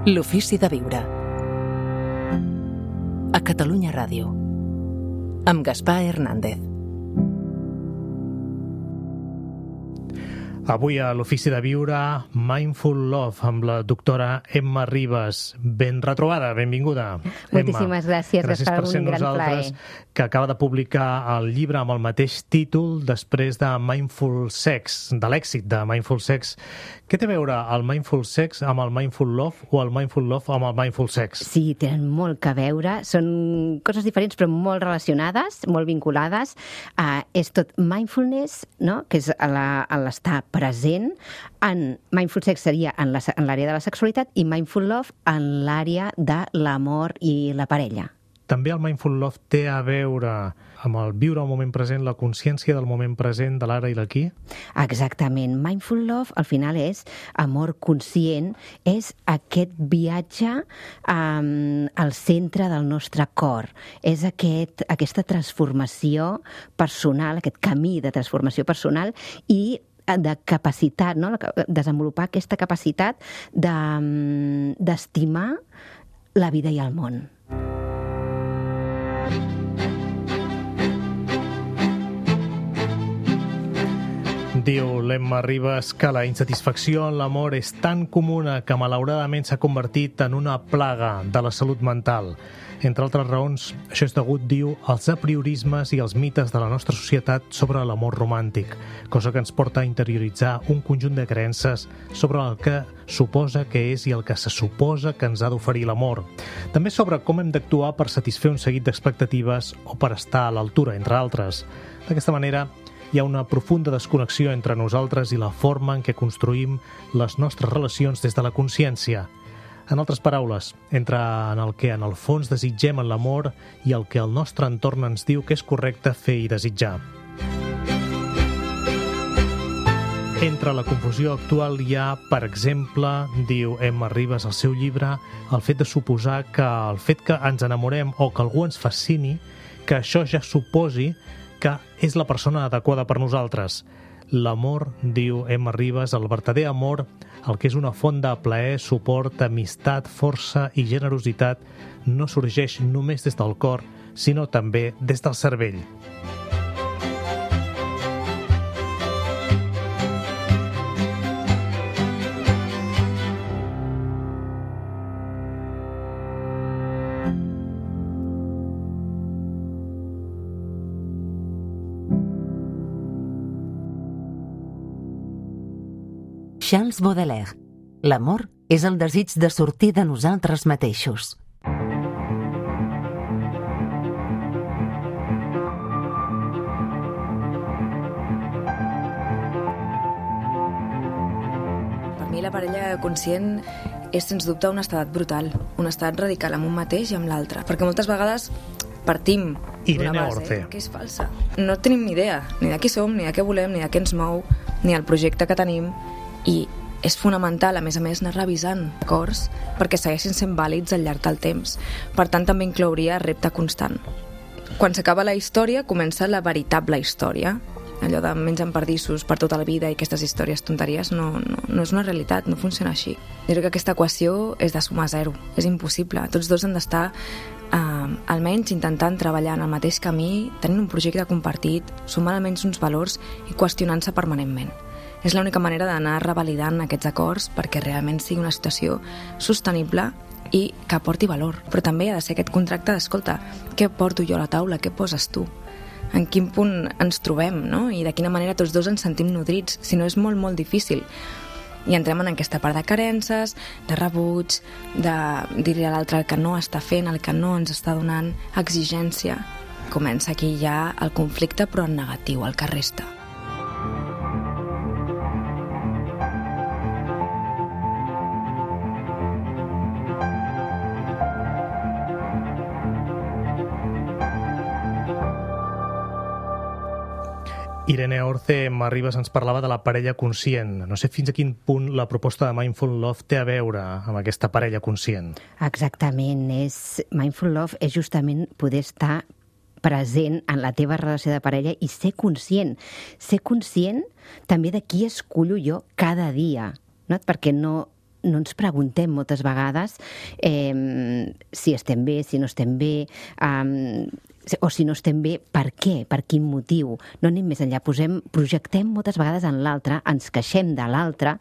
L'ofici de viure. A Catalunya Ràdio. Amb Gaspar Hernández. Avui a l'Ofici de Viure, Mindful Love, amb la doctora Emma Ribas. Ben retrobada, benvinguda. Moltíssimes gràcies, gràcies per ser un gran nosaltres, plaer. que acaba de publicar el llibre amb el mateix títol després de Mindful Sex, de l'èxit de Mindful Sex. Què té a veure el Mindful Sex amb el Mindful Love o el Mindful Love amb el Mindful Sex? Sí, tenen molt que veure, són coses diferents però molt relacionades, molt vinculades. És tot mindfulness, no? Que és l'estar present. Mindful Sex seria en l'àrea de la sexualitat i Mindful Love en l'àrea de l'amor i la parella. També el Mindful Love té a veure amb el viure el moment present, la consciència del moment present, de l'ara i l'aquí? Exactament. Mindful Love, al final, és amor conscient, és aquest viatge al centre del nostre cor. És aquesta transformació personal, aquest camí de transformació personal i de capacitat, no? Desenvolupar aquesta capacitat d'estimar la vida i el món. Diu l'Emma Ribas que la insatisfacció en l'amor és tan comuna que malauradament s'ha convertit en una plaga de la salut mental. Entre altres raons, això és degut, diu, als apriorismes i als mites de la nostra societat sobre l'amor romàntic, cosa que ens porta a interioritzar un conjunt de creences sobre el que suposa que és i el que se suposa que ens ha d'oferir l'amor. També sobre com hem d'actuar per satisfer un seguit d'expectatives o per estar a l'altura, entre altres. D'aquesta manera, hi ha una profunda desconnexió entre nosaltres i la forma en què construïm les nostres relacions des de la consciència. En altres paraules, entre en el que en el fons desitgem en l'amor i el que el nostre entorn ens diu que és correcte fer i desitjar. Entre la confusió actual hi ha, per exemple, diu Emma Ribas al seu llibre, el fet de suposar que el fet que ens enamorem o que algú ens fascini, que això ja suposi que és la persona adequada per nosaltres. L'amor, diu Emma Ribas, el vertader amor, el que és una font de plaer, suport, amistat, força i generositat, no sorgeix només des del cor, sinó també des del cervell. Charles Baudelaire. L'amor és el desig de sortir de nosaltres mateixos. Per mi la parella conscient és sens dubte un estat brutal, un estat radical amb un mateix i amb l'altre, perquè moltes vegades partim d'una base que és falsa. No tenim ni idea, ni de qui som, ni de què volem, ni de què ens mou, ni el projecte que tenim, i és fonamental, a més, anar revisant acords perquè segueixin sent vàlids al llarg del temps. Per tant, també inclouria repte constant. Quan s'acaba la història, comença la veritable història. Allò de menjant pardissos per tota la vida i aquestes històries tonteries no és una realitat, no funciona així. Jo crec que aquesta equació és de suma zero, és impossible. Tots dos han d'estar almenys intentant treballar en el mateix camí, tenint un projecte compartit, sumant almenys uns valors i qüestionant-se permanentment. És l'única manera d'anar revalidant aquests acords perquè realment sigui una situació sostenible i que aporti valor. Però també ha de ser aquest contracte d'escolta, què porto jo a la taula, què poses tu? En quin punt ens trobem, no? I de quina manera tots dos ens sentim nodrits, si no és molt, molt difícil. I entrem en aquesta part de carences, de rebuig, de dir-li a l'altre el que no està fent, el que no ens està donant, exigència. Comença aquí ja el conflicte, però en negatiu, el que resta. Irene Orce, Emma Ribas ens parlava de la parella conscient. No sé fins a quin punt la proposta de Mindful Love té a veure amb aquesta parella conscient. Exactament. Mindful Love és justament poder estar present en la teva relació de parella i ser conscient. Ser conscient també de qui escullo jo cada dia, no? Perquè no no ens preguntem moltes vegades si estem bé, si no estem bé, o si no estem bé, per què, per quin motiu. No anem més enllà, projectem moltes vegades en l'altre, ens queixem de l'altre,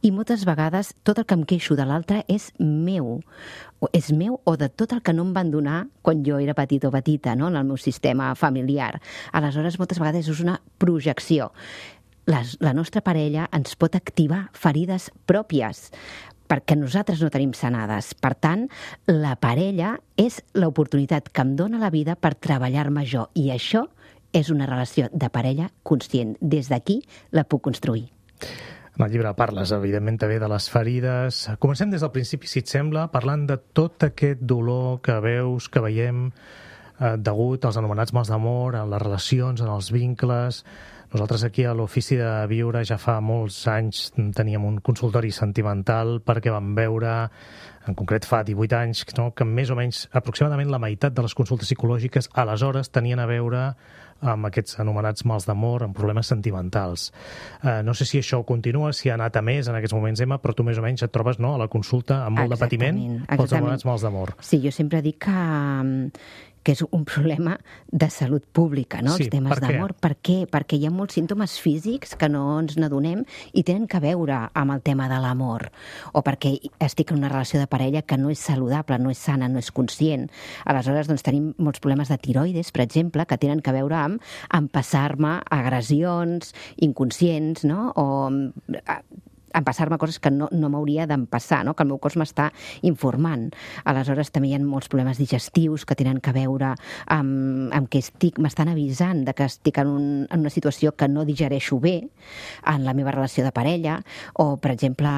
i moltes vegades tot el que em queixo de l'altre és meu o de tot el que no em van donar quan jo era petit o petita, no?, en el meu sistema familiar. Aleshores, moltes vegades és una projecció. La nostra parella ens pot activar ferides pròpies, perquè nosaltres no tenim sanades. Per tant, la parella és l'oportunitat que em dóna la vida per treballar-me jo, i això és una relació de parella conscient. Des d'aquí la puc construir. En el llibre parles, evidentment, també de les ferides. Comencem des del principi, si et sembla, parlant de tot aquest dolor que veus, que veiem degut als anomenats mals d'amor, en les relacions, en els vincles. Nosaltres aquí a l'Ofici de Viure ja fa molts anys teníem un consultori sentimental perquè vam veure, en concret fa 18 anys, no?, que més o menys aproximadament la meitat de les consultes psicològiques aleshores tenien a veure amb aquests anomenats mals d'amor, amb problemes sentimentals. No sé si això continua, si ha anat a més en aquests moments, Emma, però tu més o menys et trobes, no?, a la consulta amb molt de patiment pels anomenats mals d'amor. Sí, jo sempre dic que és un problema de salut pública, no?, sí, els temes d'amor. Per què? Perquè hi ha molts símptomes físics que no ens n'adonem i tenen que veure amb el tema de l'amor, o perquè estic en una relació de parella que no és saludable, no és sana, no és conscient. Aleshores, doncs, tenim molts problemes de tiroides, per exemple, que tenen que veure amb empassar-me agressions inconscients, no?, o empassar-me coses que no m'hauria d'empassar, no?, que el meu cos m'està informant. Aleshores, també hi ha molts problemes digestius que tenen que veure amb que m'estan avisant de que estic en una situació que no digereixo bé en la meva relació de parella, o, per exemple,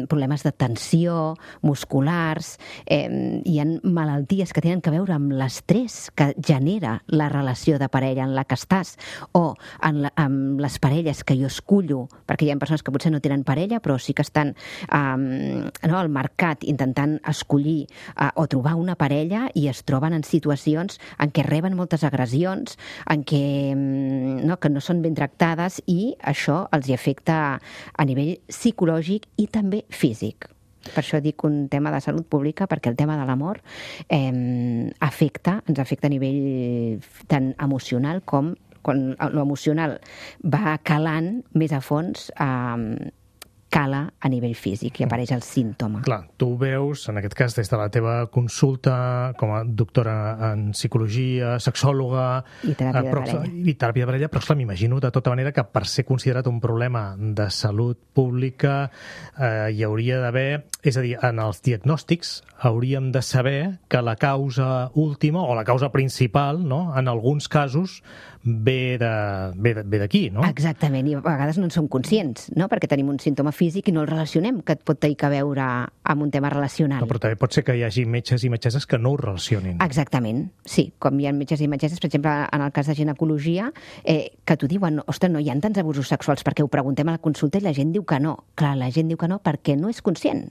problemes de tensió musculars. Hi ha malalties que tenen que veure amb l'estrès que genera la relació de parella en la que estàs, o amb les parelles que jo escullo, perquè hi ha persones que potser no tenen parella, però sí que estan al mercat intentant escollir o trobar una parella, i es troben en situacions en què reben moltes agressions, en què no són ben tractades, i això els hi afecta a nivell psicològic i també físic. Per això dic un tema de salut pública, perquè el tema de l'amor ens afecta a nivell tant emocional com quan l'emocional va calant més a fons, cala a nivell físic i apareix el símptoma. Clar, tu veus, en aquest cas, des de la teva consulta com a doctora en psicologia, sexòloga i teràpia de parella, però clar, m'imagino de tota manera que per ser considerat un problema de salut pública hi hauria d'haver, és a dir, en els diagnòstics hauríem de saber que la causa última o la causa principal, no?, en alguns casos ve d'aquí, no? Exactament, i a vegades no en som conscients, no?, perquè tenim un símptoma físic i no el relacionem, que et pot tenir a veure amb un tema relacional. No, però també pot ser que hi hagi metges i metgesses que no ho relacionin. Exactament, sí. Com hi ha metges i metgesses, per exemple, en el cas de ginecologia, que t'ho diuen, ostres, no hi ha tants abusos sexuals, perquè ho preguntem a la consulta i la gent diu que no. Clar, la gent diu que no perquè no és conscient.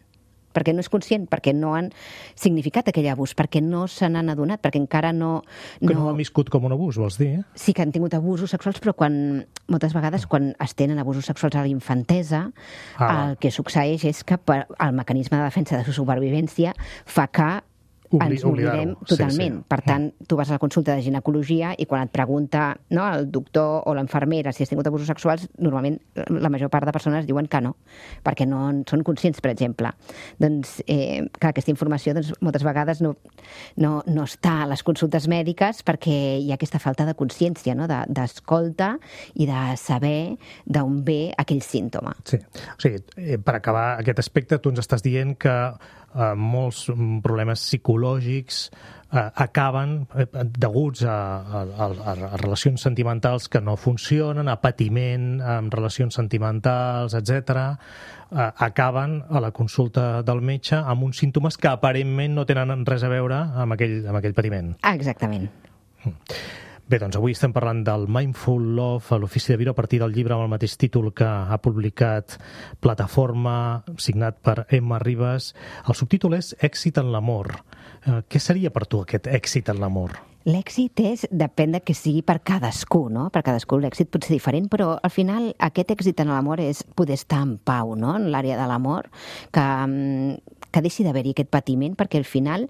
Perquè no han significat aquell abús, perquè no se n'han adonat, perquè encara no... Que no han viscut com un abús, vols dir? Sí que han tingut abusos sexuals, però moltes vegades quan es tenen abusos sexuals a la infantesa, el que succeeix és que el mecanisme de defensa de la supervivència fa que ens oblidem totalment. Per tant, tu vas a la consulta de ginecologia i quan et pregunta el doctor o l'infermera si has tingut abusos sexuals, normalment la major part de persones diuen que no, perquè no en són conscients, per exemple. Doncs, clar, aquesta informació moltes vegades no està a les consultes mèdiques perquè hi ha aquesta falta de consciència, d'escolta i de saber d'on ve aquell símptoma. Sí, o sigui, per acabar aquest aspecte, tu ens estàs dient que molts problemes psicològics acaben deguts a relacions sentimentals que no funcionen, a patiment amb relacions sentimentals, etc., acaben a la consulta del metge amb uns símptomes que aparentment no tenen res a veure amb aquell patiment. Exactament. Bé, doncs avui estem parlant del Mindful Love a l'Ofici de Viure a partir del llibre amb el mateix títol que ha publicat Plataforma, signat per Emma Ribas. El subtítol és Èxit en l'amor. Què seria per tu aquest èxit en l'amor? L'èxit depèn de que sigui per cadascú, no? Per cadascú l'èxit pot ser diferent, però al final aquest èxit en l'amor és poder estar en pau, no? En l'àrea de l'amor, que deixi d'haver-hi aquest patiment, perquè al final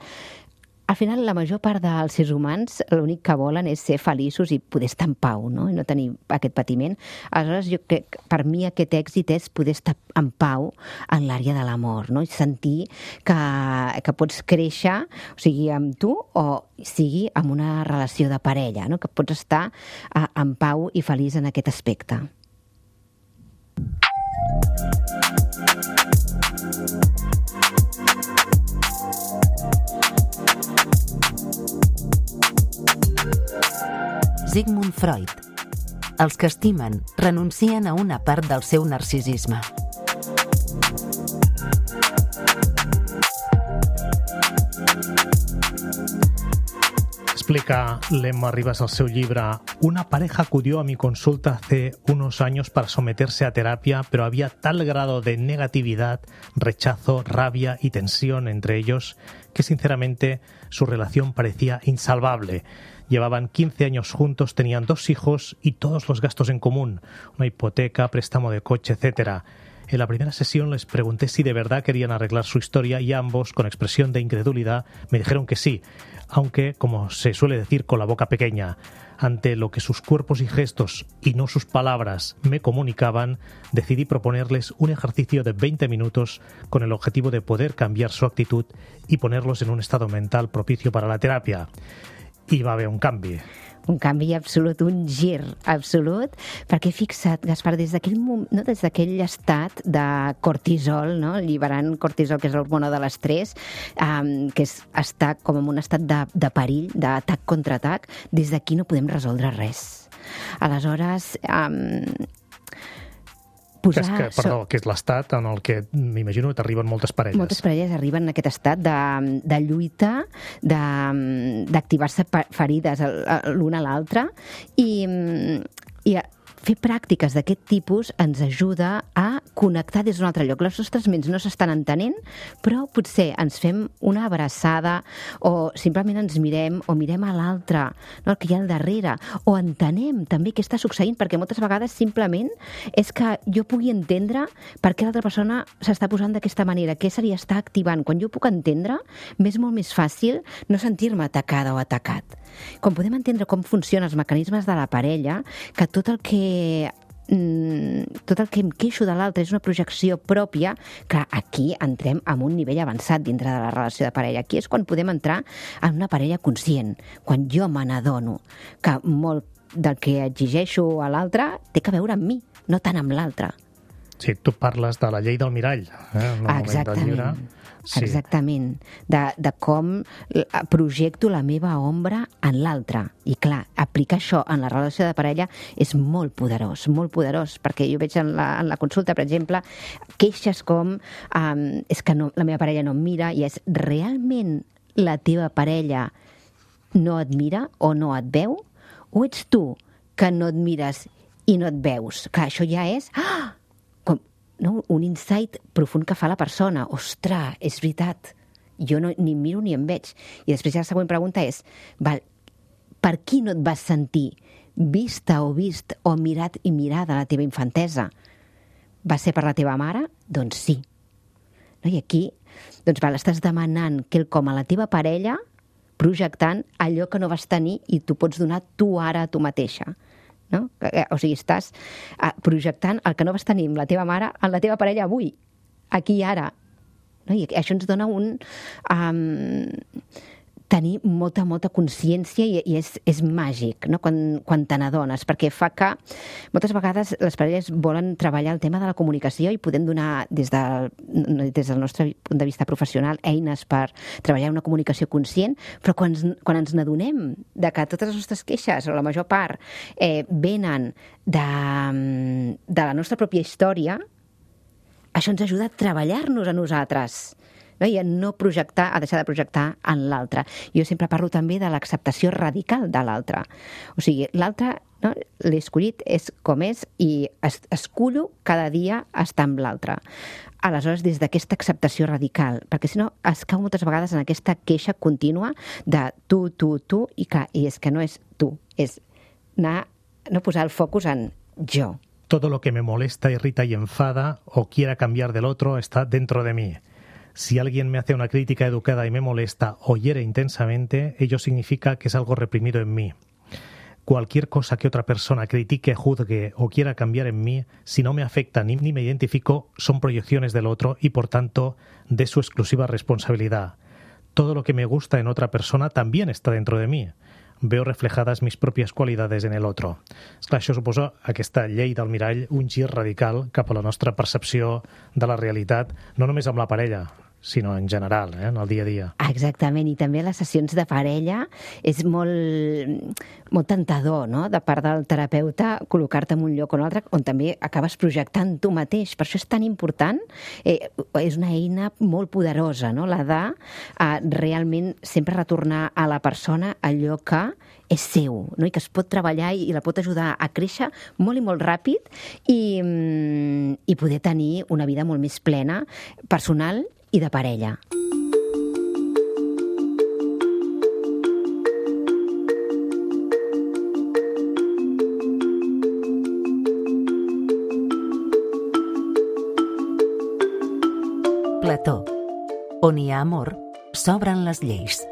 la major part dels éssers humans l'únic que volen és ser feliços i poder estar en pau, no? I no tenir aquest patiment. Aleshores, jo crec que per mi aquest èxit és poder estar en pau en l'àrea de l'amor, no? I sentir que pots créixer, o sigui, amb tu o sigui amb una relació de parella, no? Que pots estar en pau i feliç en aquest aspecte. Sigmund Freud. Els que estimen renuncien a una part del seu narcisisme. Explica Lemma Rivas al seu llibre: una pareja acudió a mi consulta hace unos años para someterse a terapia, pero había tal grado de negatividad, rechazo, rabia y tensión entre ellos que sinceramente su relación parecía insalvable. Llevaban 15 años juntos, tenían 2 hijos y todos los gastos en común, una hipoteca, préstamo de coche, etc. En la primera sesión les pregunté si de verdad querían arreglar su historia y ambos, con expresión de incredulidad, me dijeron que sí, aunque, como se suele decir, con la boca pequeña. Ante lo que sus cuerpos y gestos, y no sus palabras, me comunicaban, decidí proponerles un ejercicio de 20 minutos con el objetivo de poder cambiar su actitud y ponerlos en un estado mental propicio para la terapia. I va haver un canvi. Un canvi absolut, un gir absolut, perquè fixa't, Gaspar, des d'aquell estat de cortisol, no? Alliberant cortisol, que és l'hormona de l'estrès, que és estar com en un estat de perill, d'atac contra atac, des d'aquí no podem resoldre res. Aleshores, que és l'estat en el que m'imagino que t'arriben moltes parelles. Moltes parelles arriben en aquest estat de lluita, d'activar-se ferides l'una a l'altra, i fer pràctiques d'aquest tipus ens ajuda a connectar des d'un altre lloc. Les nostres ments no s'estan entenent, però potser ens fem una abraçada o simplement ens mirem o mirem a l'altre, no, el que hi ha al darrere, o entenem també què està succeint, perquè moltes vegades simplement és que jo pugui entendre per què l'altra persona s'està posant d'aquesta manera, què se li està activant. Quan jo puc entendre, m'és molt més fàcil no sentir-me atacada o atacat. Quan podem entendre com funcionen els mecanismes de la parella, que tot el que em queixo de l'altre és una projecció pròpia, que aquí entrem en un nivell avançat dintre de la relació de parella. Aquí és quan podem entrar en una parella conscient, quan jo me n'adono que molt del que exigeixo a l'altre té que veure amb mi, no tant amb l'altre. Sí, tu parles de la llei del mirall, en el moment del llibre. Sí. Exactament, de com projecto la meva ombra en l'altre. I clar, aplicar això en la relació de parella és molt poderós, perquè jo veig en la consulta, per exemple, queixes com és que no, la meva parella no em mira, i és realment la teva parella no et mira o no et veu, o ets tu que no et mires i no et veus? Clar, això ja és un insight profund que fa la persona. Ostres, és veritat, jo ni em miro ni em veig. I després ja la següent pregunta és, per qui no et vas sentir vista o vist o mirat i mirada a la teva infantesa? Va ser per la teva mare? Doncs sí. No? I aquí estàs demanant quelcom a la teva parella, projectant allò que no vas tenir i tu pots donar tu ara a tu mateixa. No? O sigui, estàs projectant el que no vas tenir amb la teva mare en la teva parella avui, aquí i ara, no? I això ens dona tenir molta consciència, i és màgic, no? Quan te n'adones, perquè fa que moltes vegades les parelles volen treballar el tema de la comunicació i podem donar des del nostre punt de vista professional eines per treballar una comunicació conscient, però quan ens n'adonem de que totes les nostres queixes, o la major part, venen de la nostra pròpia història, això ens ajuda a treballar-nos a nosaltres. no? I a no projectar, a deixar de projectar en l'altre. Jo sempre parlo també de l'acceptació radical de l'altre. O sigui, l'altre, no? L'he escollit, és com és, i escullo cada dia estar amb l'altre. Aleshores, des d'aquesta acceptació radical, perquè si no es cau moltes vegades en aquesta queixa contínua de tu, i és que no és tu, és no posar el focus en jo. Todo lo que me molesta, irrita y enfada o quiera cambiar del otro está dentro de mí. Si alguien me hace una crítica educada y me molesta o hiere intensamente, ello significa que es algo reprimido en mí. Cualquier cosa que otra persona critique, juzgue o quiera cambiar en mí, si no me afecta ni me identifico, son proyecciones del otro y, por tanto, de su exclusiva responsabilidad. Todo lo que me gusta en otra persona también está dentro de mí. Veo reflejadas mis propias cualidades en el otro. Esclar, això suposa aquesta llei del mirall, un gir radical cap a la nostra percepció de la realitat, no només amb la parella, sinó en general, en el dia a dia. Exactament, i també a les sessions de parella és molt tentador, no?, de part del terapeuta, col·locar-te en un lloc o un altre on també acabes projectant tu mateix. Per això és tan important, és una eina molt poderosa, no?, la de realment sempre retornar a la persona allò que és seu, no?, i que es pot treballar i la pot ajudar a créixer molt i molt ràpid i poder tenir una vida molt més plena, personal i de parella. Plató. On hi ha amor, s'obren les lleis.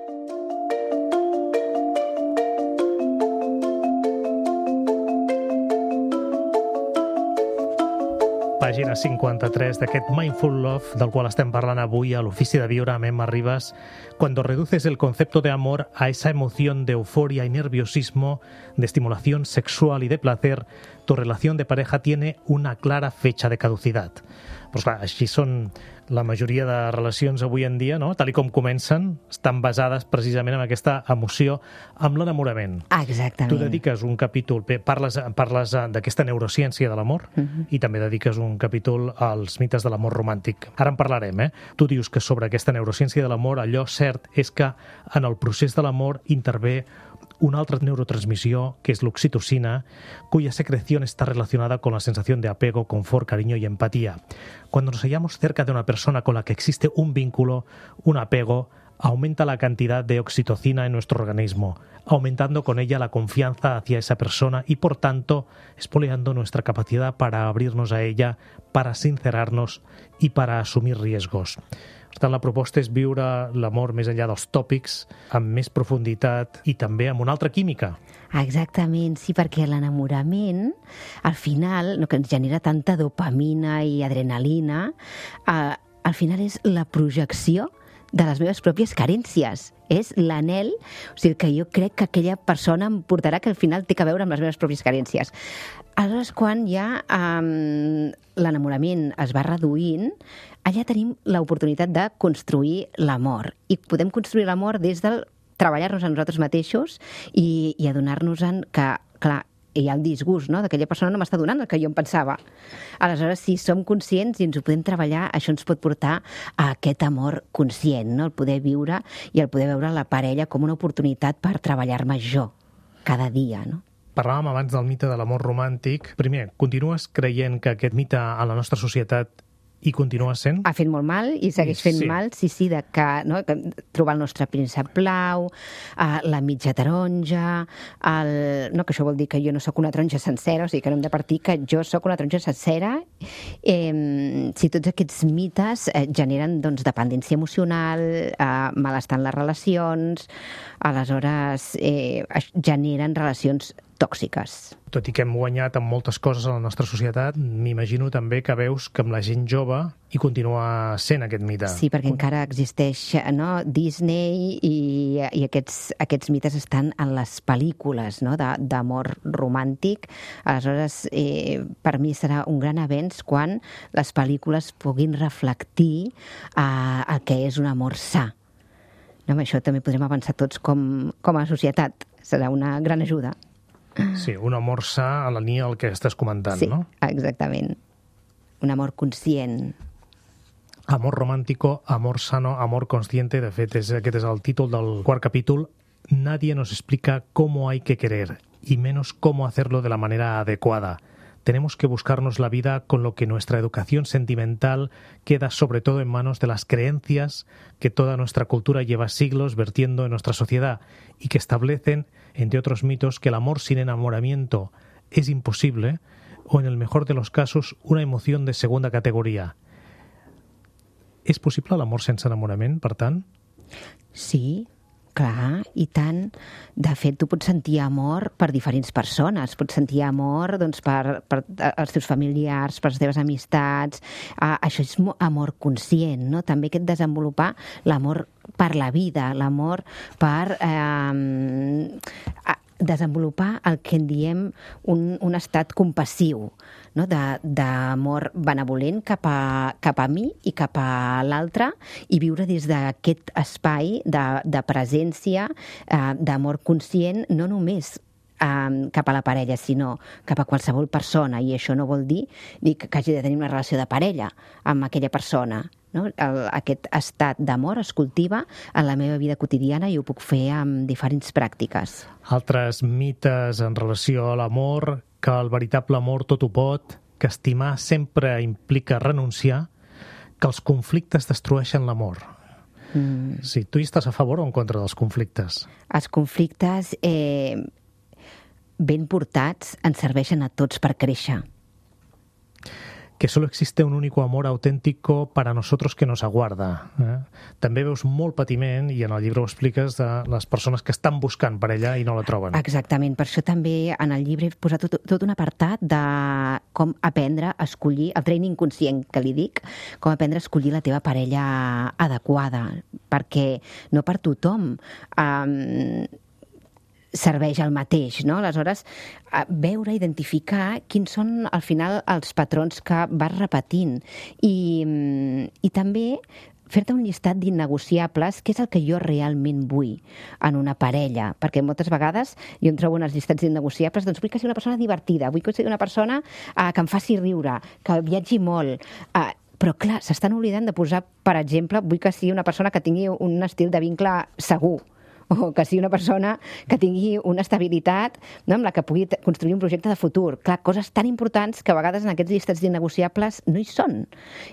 Pàgina 53 d'aquest Mindful Love del qual estem parlant avui a l'Ofici de Viure amb Emma Ribas. Cuando reduces el concepto de amor a esa emoción de euforia y nerviosismo, de estimulación sexual y de placer, tu relación de pareja tiene una clara fecha de caducidad. Però clar, així són la majoria de relacions avui en dia, no? Tal com comencen, estan basades precisament en aquesta emoció, amb l'enamorament. Exactament. Tu dediques un capítol, parles d'aquesta neurociència de l'amor i també dediques un capítol als mites de l'amor romàntic. Ara en parlarem, Tu dius que sobre aquesta neurociència de l'amor allò cert és que en el procés de l'amor intervé una altra neurotransmisión, que es la oxitocina, cuya secreción está relacionada con la sensación de apego, confort, cariño y empatía. Cuando nos hallamos cerca de una persona con la que existe un vínculo, un apego, aumenta la cantidad de oxitocina en nuestro organismo, aumentando con ella la confianza hacia esa persona y, por tanto, espoleando nuestra capacidad para abrirnos a ella, para sincerarnos y para asumir riesgos. Per tant, la proposta és viure l'amor més enllà dels tòpics, amb més profunditat i també amb una altra química. Exactament, sí, perquè l'enamorament, al final, no, que ens genera tanta dopamina i adrenalina, al final és la projecció de les meves pròpies carències. És l'anhel, o sigui, que jo crec que aquella persona em portarà, que al final té a veure amb les meves pròpies carències. Aleshores, quan ja l'enamorament es va reduint, allà tenim l'oportunitat de construir l'amor. I podem construir l'amor des del treballar-nos a nosaltres mateixos i adonar-nos-en que, clar, hi ha el disgust, no?, d'aquella persona no m'està donant el que jo em pensava. Aleshores, si som conscients i ens ho podem treballar, això ens pot portar a aquest amor conscient, no?, el poder viure i el poder veure la parella com una oportunitat per treballar-me jo cada dia, no? Parlàvem abans del mite de l'amor romàntic. Primer, continues creient que aquest mite a la nostra societat i continua sent? Ha fet molt mal i segueix fent mal, sí, que trobar el nostre príncep blau, la mitja taronja, que això vol dir que jo no sóc una taronja sencera, o sigui que no hem de partir que jo sóc una taronja sencera. Si tots aquests mites generen dependència emocional, malestar en les relacions, aleshores generen relacions tòxiques. Tot i que hem guanyat amb moltes coses a la nostra societat, m'imagino també que veus que amb la gent jove hi continua sent aquest mite. Sí, perquè encara existeix, no?, Disney i aquests mites estan en les pel·lícules, no?, d'amor romàntic. Aleshores, per mi serà un gran avenç quan les pel·lícules puguin reflectir el que és un amor sa. No, amb això també podrem avançar tots com a societat. Serà una gran ajuda. Sí, un amor sa a la línia del que estàs comentant, sí, no? Sí, exactament. Un amor conscient. Amor romántico, amor sano, amor consciente. De fet, aquest és el títol del quart capítol. Nadie nos explica cómo hay que querer, y menos cómo hacerlo de la manera adecuada. Tenemos que buscarnos la vida con lo que nuestra educación sentimental queda sobre todo en manos de las creencias que toda nuestra cultura lleva siglos vertiendo en nuestra sociedad y que establecen, entre otros mitos, que el amor sin enamoramiento es imposible o, en el mejor de los casos, una emoción de segunda categoría. És possible l'amor sense enamorament, per tant? Sí, clar, i tant. De fet, tu pots sentir amor per diferents persones. Pots sentir amor per els teus familiars, per les teves amistats. Això és amor conscient, no? També aquest desenvolupar l'amor per la vida, l'amor per desenvolupar el que en diem un estat compassiu, no? D'amor benevolent cap a mi i cap a l'altre, i viure des d'aquest espai de presència, d'amor conscient, no només cap a la parella, sinó cap a qualsevol persona. I això no vol dir que hagi de tenir una relació de parella amb aquella persona, no? Aquest estat d'amor es cultiva en la meva vida quotidiana i ho puc fer amb diferents pràctiques. Altres mites en relació a l'amor, que el veritable amor tot ho pot, que estimar sempre implica renunciar, que els conflictes destrueixen l'amor. Sí, tu hi estàs a favor o en contra dels conflictes? Els conflictes ben portats ens serveixen a tots per créixer. Que solo existe un único amor auténtico para nosotros que nos aguarda. També veus molt patiment, i en el llibre ho expliques, de les persones que estan buscant parella i no la troben. Exactament, per això també en el llibre he posat tot un apartat de com aprendre a escollir, el training conscient que li dic, com aprendre a escollir la teva parella adequada, perquè no per tothom serveix el mateix, no? Aleshores, veure, identificar quins són, al final, els patrons que vas repetint. I també fer-te un llistat d'innegociables, que és el que jo realment vull en una parella, perquè moltes vegades jo em trobo en els llistats d'innegociables, doncs vull que sigui una persona divertida, vull que sigui una persona que em faci riure, que viatgi molt, però clar, s'estan oblidant de posar, per exemple, vull que sigui una persona que tingui un estil de vincle segur, o que sigui una persona que tingui una estabilitat, no?, amb la que pugui construir un projecte de futur. Clar, coses tan importants que a vegades en aquests llistats d'innegociables no hi són.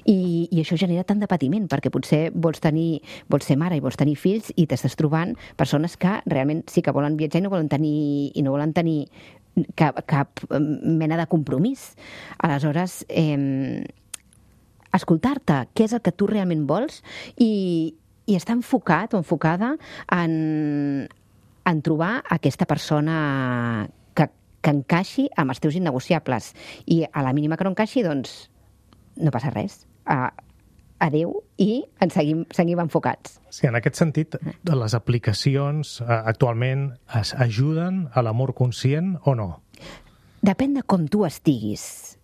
I això genera tant de patiment, perquè potser vols ser mare i vols tenir fills i t'estàs trobant persones que realment sí que volen viatjar i no volen tenir cap mena de compromís. Aleshores, escoltar-te, què és el que tu realment vols, i estar enfocat o enfocada en trobar aquesta persona que encaixi amb els teus innegociables. I a la mínima que no encaixi, doncs no passa res. Adéu, i ens seguim enfocats. Sí, en aquest sentit, les aplicacions actualment ajuden a l'amor conscient o no? Depèn de com tu estiguis.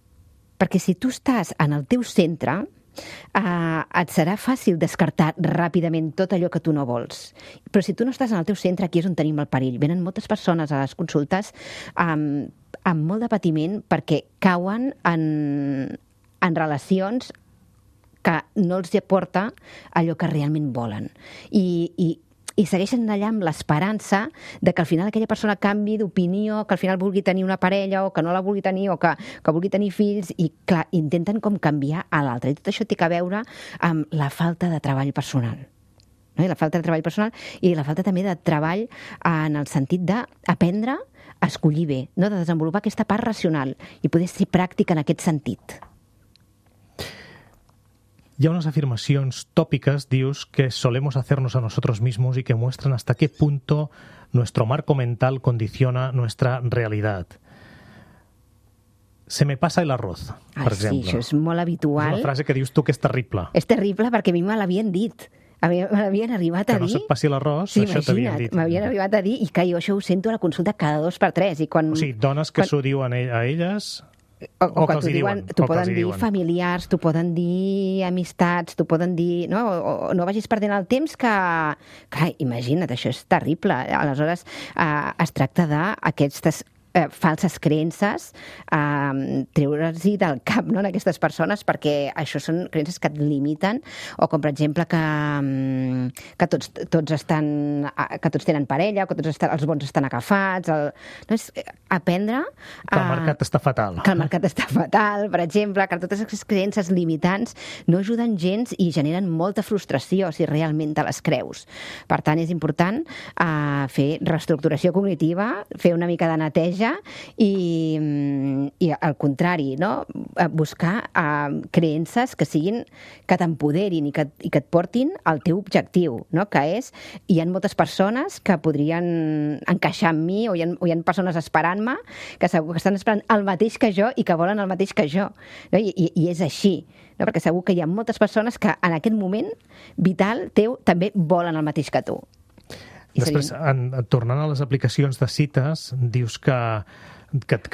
Perquè si tu estàs en el teu centre, et serà fàcil descartar ràpidament tot allò que tu no vols. Però si tu no estàs en el teu centre, aquí és on tenim el perill. Venen moltes persones a les consultes amb molt de patiment perquè cauen en relacions que no els aporta allò que realment volen. I segueixen allà amb l'esperança de que al final aquella persona canvi d'opinió, que al final vulgui tenir una parella o que no la vulgui tenir, o que vulgui tenir fills, i clar, intenten com canviar a l'altre. I tot això té a veure amb la falta de treball personal. No? I la falta de treball personal i la falta també de treball en el sentit d'aprendre a escollir bé, no? De desenvolupar aquesta part racional i poder ser pràctica en aquest sentit. Hi ha unas afirmaciones tópicas, dius, que solemos hacernos a nosotros mismos y que muestran hasta qué punto nuestro marco mental condiciona nuestra realidad. Se me pasa el arroz, per exemple. Sí, això és molt habitual. És una frase que dius tu que és terrible. És terrible perquè a mi me l'havien dit. Me l'havien arribat a dir... Que no se't passi l'arròs, sí, això t'havien dit. M'havien arribat a dir, i que jo això ho sento a la consulta cada 2 per 3. I quan, o sigui, dones que s'ho diuen a elles... O que t'ho diuen, t'ho poden dir familiars, t'ho poden dir amistats, t'ho poden dir... No? O no vagis perdent el temps que... Clar, imagina't, això és terrible. Aleshores, es tracta d'aquestes falses creences, treure-s'hi del cap, no?, en aquestes persones, perquè això són creences que et limiten, o com per exemple que tots tenen parella, o que els bons estan agafats, no, és aprendre que el mercat està fatal. Que el mercat està fatal, per exemple, que totes aquestes creences limitants no ajuden gens i generen molta frustració si realment te les creus. Per tant, és important fer reestructuració cognitiva, fer una mica de neteja i al contrari, no?, buscar creences que t'empoderin i que et portin al teu objectiu, no?, que és, hi ha moltes persones que podrien encaixar amb mi, o hi ha persones esperant-me que segur que estan esperant el mateix que jo i que volen el mateix que jo, no? I és així, no? Perquè segur que hi ha moltes persones que en aquest moment vital teu també volen el mateix que tu. Després, tornant a les aplicacions de cites, dius que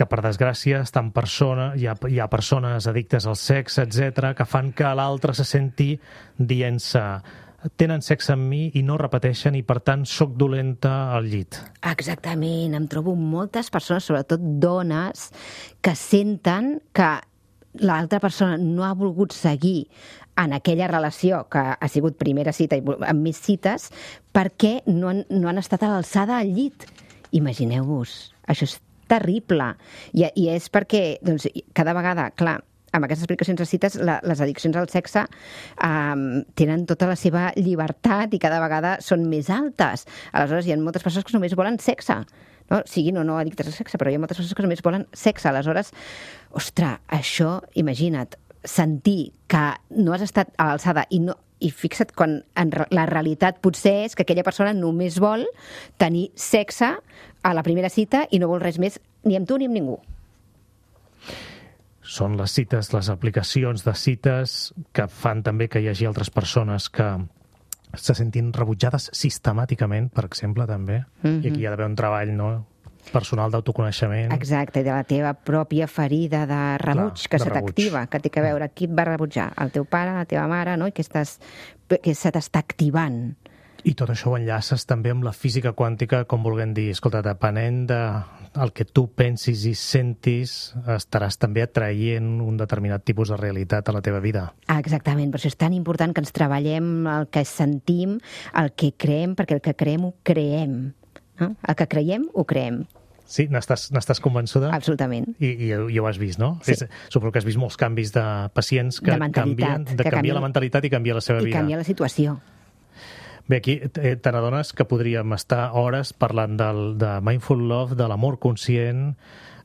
per desgràcia hi ha persones addictes al sexe, etc., que fan que l'altre se senti dient-se tenen sexe amb mi i no repeteixen i, per tant, soc dolenta al llit. Exactament. Em trobo moltes persones, sobretot dones, que senten que l'altra persona no ha volgut seguir en aquella relació que ha sigut primera cita i amb més cites perquè no han estat a l'alçada al llit. Imagineu-vos, això és terrible. I és perquè, doncs, cada vegada, clar, amb aquestes aplicacions de cites, les addiccions al sexe tenen tota la seva llibertat i cada vegada són més altes. Aleshores, hi ha moltes persones que només volen sexe, no? Siguin o no addictes al sexe, però hi ha moltes persones que només volen sexe. Aleshores, ostres, això, imagina't, sentir que no has estat a l'alçada i fixa't quan la realitat potser és que aquella persona només vol tenir sexe a la primera cita i no vol res més ni amb tu ni amb ningú. Són les cites, les aplicacions de cites que fan també que hi hagi altres persones que se sentin rebutjades sistemàticament, per exemple, també. I aquí hi ha d'haver un treball, no?, personal d'autoconeixement. Exacte, i de la teva pròpia ferida de rebuig, que se t'activa, que té a veure qui et va rebutjar, el teu pare, la teva mare, no?, i que se t'està activant. I tot això ho enllaces també amb la física quàntica, com volguem dir, escolta, depenent del que tu pensis i sentis, estaràs també atraient un determinat tipus de realitat a la teva vida. Exactament, per això és tan important que ens treballem el que sentim, el que creem, perquè el que creem ho creem. No? El que creiem, ho creem. Sí, n'estàs convençuda? Absolutament. I ho has vist, no? Sí. Suposo que has vist molts canvis de pacients que canvien la mentalitat i canvia la seva vida. I canvia la situació. Bé, aquí te n'adones que podríem estar hores parlant de Mindful Love, de l'amor conscient,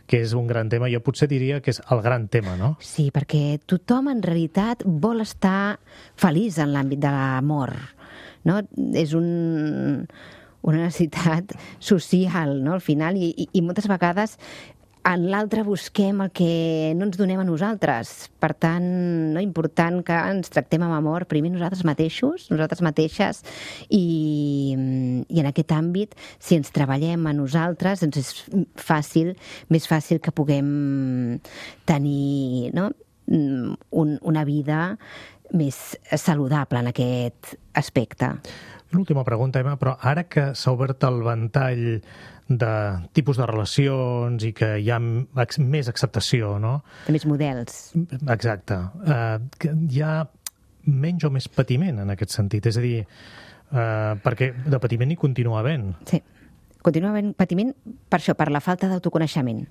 que és un gran tema. Jo potser diria que és el gran tema, no? Sí, perquè tothom en realitat vol estar feliç en l'àmbit de l'amor, no? És una necessitat social, no?, al final, i moltes vegades en l'altre busquem el que no ens donem a nosaltres. Per tant, no, important que ens tractem amb amor primer nosaltres mateixos, nosaltres mateixes, i en aquest àmbit, si ens treballem a nosaltres, doncs és més fàcil que puguem tenir, no?, una vida més saludable en aquest aspecte. Una última pregunta, Emma, però ara que s'ha obert el ventall de tipus de relacions i que hi ha més acceptació, no? De més models. Exacte. Hi ha menys o més patiment en aquest sentit, és a dir, perquè de patiment hi continua havent. Sí, continua havent patiment per això, per la falta d'autoconeixement.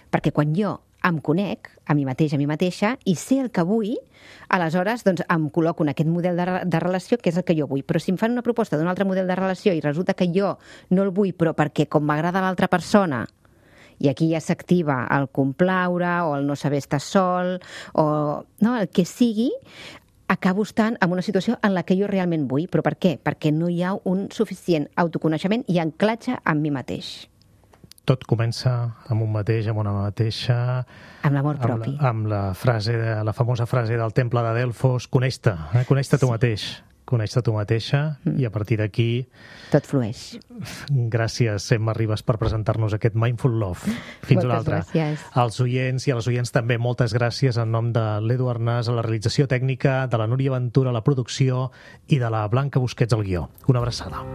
Perquè quan jo em conec a mi mateix, a mi mateixa, i sé el que vull, aleshores doncs, em col·loco en aquest model de relació que és el que jo vull. Però si em fan una proposta d'un altre model de relació i resulta que jo no el vull, però perquè com m'agrada l'altra persona, i aquí ja s'activa el complaure o el no saber estar sol, o no, el que sigui, acabo estant en una situació en la que jo realment vull. Però per què? Perquè no hi ha un suficient autoconeixement i anclatge amb mi mateix. Tot comença amb un mateix, amb una mateixa... Amb l'amor propi. Amb la famosa frase del temple de Delfos, coneix-te, coneix-te tu mateix. Coneix-te tu mateixa i a partir d'aquí... Tot flueix. Gràcies, Emma Ribas, per presentar-nos aquest Mindful Love. Fins una altra. Moltes gràcies. Als oients i a les oients també moltes gràcies en nom de l'Edu Arnàs a la realització tècnica, de la Núria Ventura a la producció i de la Blanca Busquets al guió. Una abraçada.